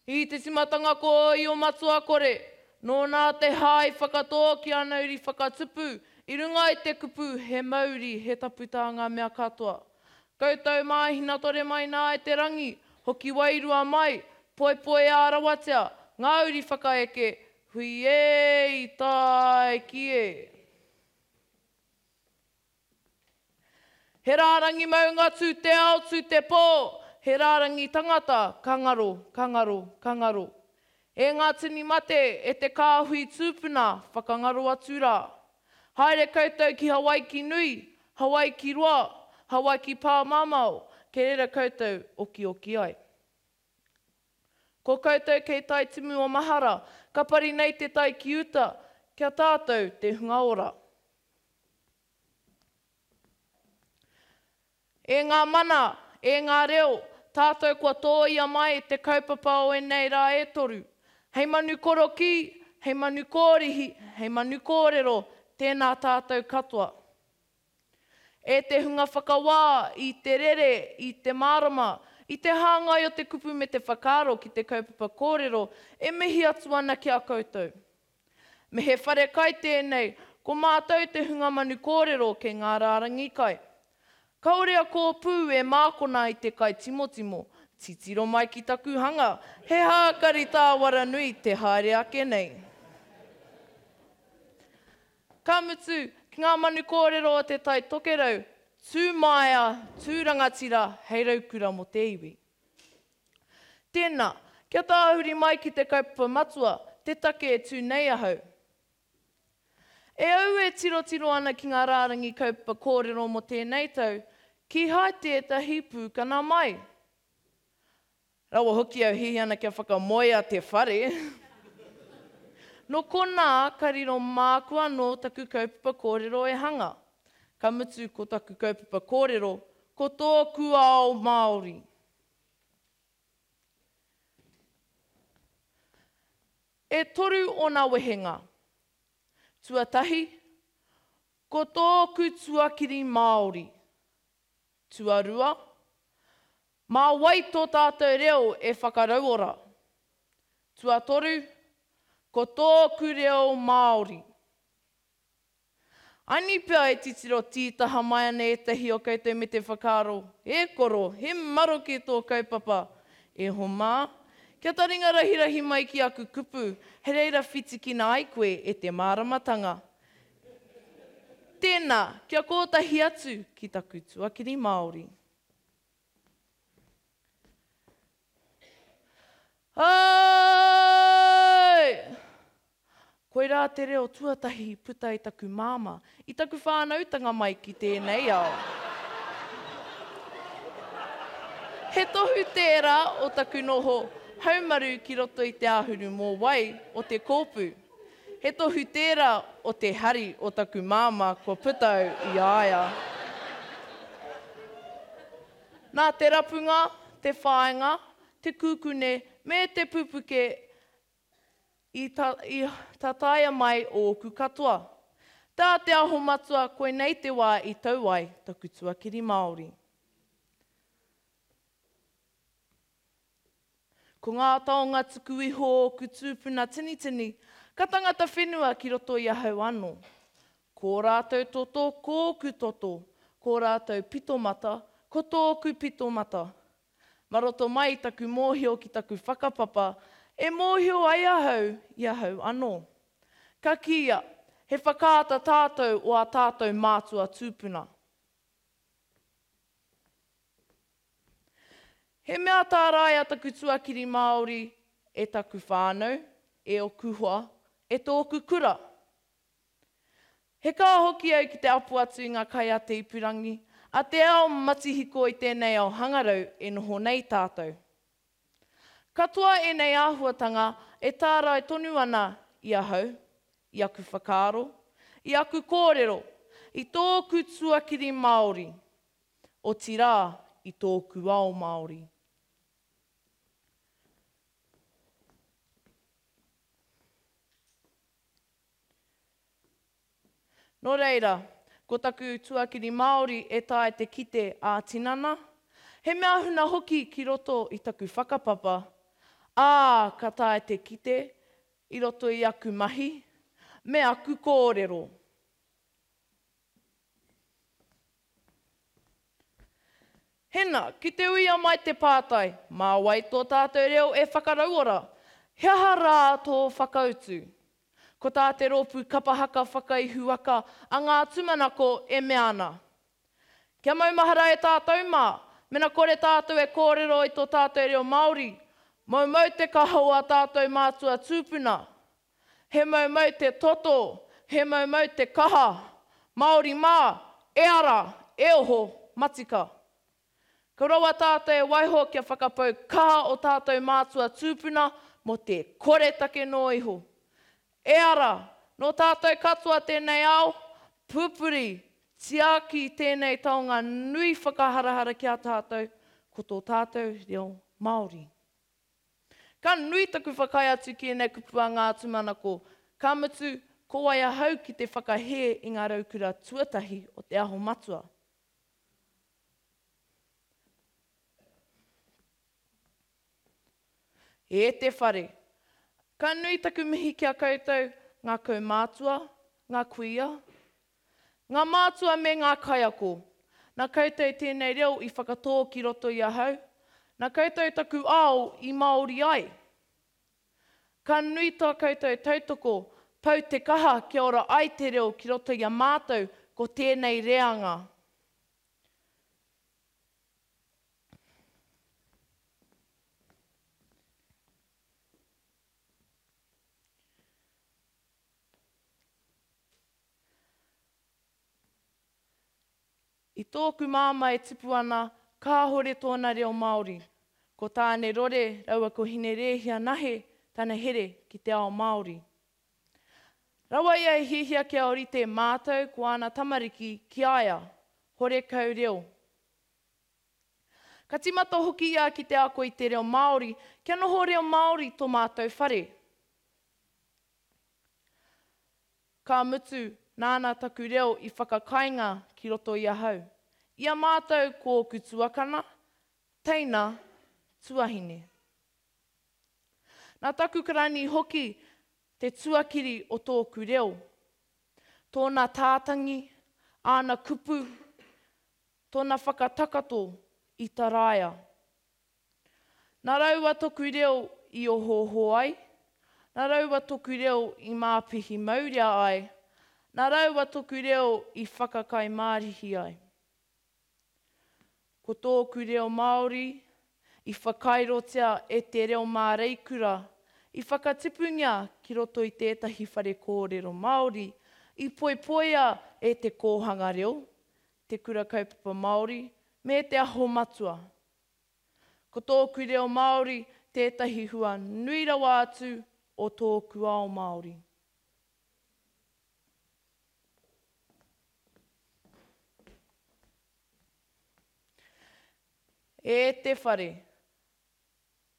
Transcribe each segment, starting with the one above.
I te timatanga ko Io Matua Kore, nōna te hā i whakatō ki ana uri whakatupu i runga i te kupu he mauri he tapu tā ngā mea katoa. Koutou mā hinatore mai nā e te rangi, hoki wairua mai, poipoiā rawatia, ngā uri whakaeke, hui ē i tae ki ē. He rārangi maunga tū te ao, tū te pō, he rārangi tangata ka ngaro, ka ngaro, ka ngaro. E ngā tini mate, e te kāhui tūpuna, whakangaro atu rā. Haere koutou ki Hawaiki nui, Hawaiki roa, Hawaiki pāmamao, kei reira koutou okioki ai. Ko koutou kei tai timu o mahara, ka pari nei te tai ki uta, kia tātou te hunga ora. E ngā mana, e ngā reo, tātou kua tōia mai te kaupapa o ēnei rā e toru. Hei manu korokī, hei manu kōrihi, hei manu kōrero, tēnā tātou katoa. E te hunga whakawā i te rere, i te mārama, i te hāngai o te kupu me te whakaaro ki te kaupapa kōrero, e mihi atu ana ki a koutou. Me he whare kai tēnei, ko mātou te hunga manu kōrero kei ngā rārangi kai. Kāore a Kōpū e mākona i te kai timotimo. Titiro mai ki taku hanga, he hākari tāwara nui te haere ake nei. Ka mutu, ki ngā manu kōrero o Te Tai Tokerau, tū māia, tū rangatira hei raukura mō te iwi. Tēnā, kia tāhuri mai ki te kaupapa matua, te take e tū nei ahau. E au e tirotiro ana ki ngā rārangi kaupapa kōrero mō tēnei tau, kīhai tētahi pūkana mai. Rawa hoki au hihi ana kia whakamoea te whare. Nō konā ka riro māku anō taku kaupapa kōrero e hanga. Ka mutu ko taku kaupapa kōrero, ko tōku ao Māori. E toru ōna wehenga. Tuatahi, ko tōku tuakiri Māori. Tuarua, mā wai tō tātou reo e whakarauora? Tuatoru, ko tōku reo Māori. Ani pea e titiro tītaha mai ana ētahi o koutou me te whakaaro, E koro, he maroke tō kaupapa! E homa, kia taringa rahirahi mai ki aku kupu, hei reira whitikina ai koe e te māramatanga. Tēnā, kia kōtahi atu ki taku tuakiri Māori. Āe! Koirā te reo tuatahi i puta i taku māmā, i taku whānautanga mai ki tēnei ao. He tohu tērā o taku noho haumaru ki roto i te āhuru mōwai o te kōpū. He tohu tērā o te hari o taku māmā kua puta au i a ia. Nā te rapunga, te whāinga, te kūkune me te pupuke i tataia mai ōku katoa. Tā Te Aho Matua koinei te wā i tau ai taku tuakiri Māori. Ko ngā taonga tuku iho o ōku tūpuna tinitini, ka tangata whenua ki roto i ahau anō. Ko ō rātou toto, ko ōku toto, ko ō rātou pitomata, ko tōku pitomata. Ma roto mai i taku mōhio ki taku whakapapa, e mōhio ai ahau i ahau anō. Ka kīia, he whakaata tātou o ā tātou mātua tūpuna. He mea tāraia taku tuakiri Māori e taku whānau, e oku hoa, e tōku kura. He kaha hoki au ki te apo atu i ngā kai a te ipurangi, a te ao matihiko i tēnei ao hangarau e noho nei tātou. Katoa ēnei āhuatanga e tārai tonu ana i ahau, i aku whakaaro, i aku kōrero, i tōku tuakiri Māori, otirā i tōku ao Māori. Nō reira, ko taku tuakiri Māori e taea te kite ā-tinana, he mea huna hoki ki roto i taku whakapapa. Ā, ka taea te kite i roto i aku mahi me aku kōrero. Hena, ki te uia mai te pātai, mā wai tō tātou reo e whakarauora? He aha rā tō whakautu? Ko tā te rōpū kapa haka whakaihuwaka a Ngā Tūmanako e mea ana. Kia maumahara e tātou mā, mena kore tātou e kōrero i tō tātou reo Māori, moumou te kaha o ā tātou mātua tūpuna. He moumou te toto, he moumou te kaha. Māori mā, e ara, e oho, matika. Ka rawa tātou e waiho kia whakapau kaha o tātou mātua tūpuna mō te koretake noa iho. E ara, nō tātou katoa tēnei ao, pupuri, tiaki i tēnei taonga nui whakaharahara ki a tātou, ko tō tātou reo Māori. Ka nui taku whakaae atu ki ēnei kupu a Ngā Tūmanako, ka mutu, ko wai ahau ki te whakahē i ngā raukura tuatahi o Te Aho Matua. E te whare! Ka nui taku mihi ki a koutou, ngā kaumātua, ngā kuia, Ngā mātua me ngā kaiako. Nā koutou tēnei reo i whakatō ki roto i ahau, nā koutou taku ao i Māori ai. Ka nui tā koutou tautoko, pau te kaha kia ora ai te reo ki roto i a mātou ko tēnei reanga. I tōku māmā e tipu ana, kāhore tōna reo Māori. Ko Tāne Rore raua ko Hine Rēhia Nahe tana here ki te ao Māori. Rawa ia e hiahia kia orite mātou ko āna tamariki ki a ia, horekau reo. Ka tīmata hoki ia ki te ako i te reo Māori kia noho reo Māori tō mātou whare. Ka mutu, nāna taku reo i whakakainga ki roto i ahau. I a mātou ko ōku tuakana, teina, tuahine. Nā taku karani hoki te tuakiri o tōku reo. Tōna tātangi, āna kupu, tōna whakatakato i taraia. Na raua toku reo i ohooho ai, na raua toku reo i māpihi maurea ai, na raua toku reo i whakakaimārihi ai. Ko tōku reo Māori i whakairotia e te reo māreikura, i whakatipungia ki roto i tētahi whare kōrero Māori, i poipoia e te kōhanga reo, te kura kaupapa Māori, me te aho matua. Ko tōku reo Māori tētahi hua nui rawa atu o tōku ao Māori. E te whare,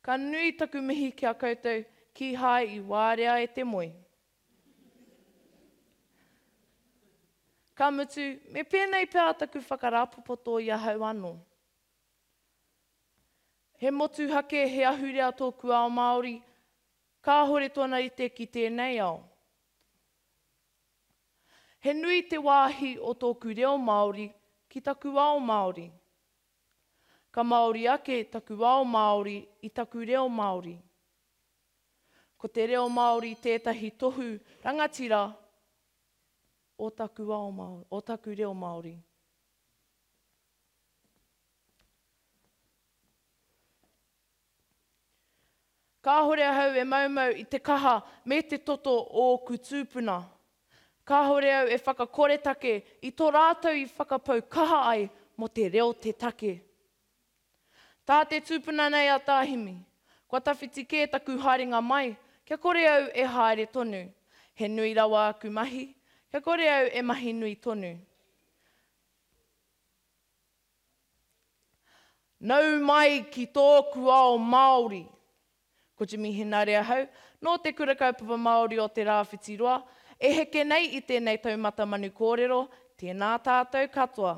ka nui taku mihi ki a koutou kīhai i wārea e te moe. Ka mutu, me pēnei pea taku whakarāpopoto i ahau anō. He motuhake, he ahurea tōku ao Māori, kāhore tōna rite ki tēnei ao. He nui te wāhi o tōku reo Māori ki taku ao Māori. Ka Māori ake taku ao Māori i taku reo Māori. Ko te reo Māori tētahi tohu rangatira o taku ao Māori, o taku reo Māori. Kāhore ahau e maumau i te kaha me te toto o ōku tūpuna. Kāhore au e whakakoretake i tō rātou i whakapau kaha ai mō te reo te take. Tā te tūpuna nei a Tā Himi, Kua tawhiti kē taku haerenga mai, kia kore au e haere tonu. He nui rawa aku mahi, kia kore au e mahi nui tonu. Nau mai ki tōku ao Māori! Ko Jimmy Henare ahau, nō Te Kura Kaupapa Māori o Te Rāwhiti Roa, e heke nei i tēnei taumata manu kōrero, tēnā tātou katoa.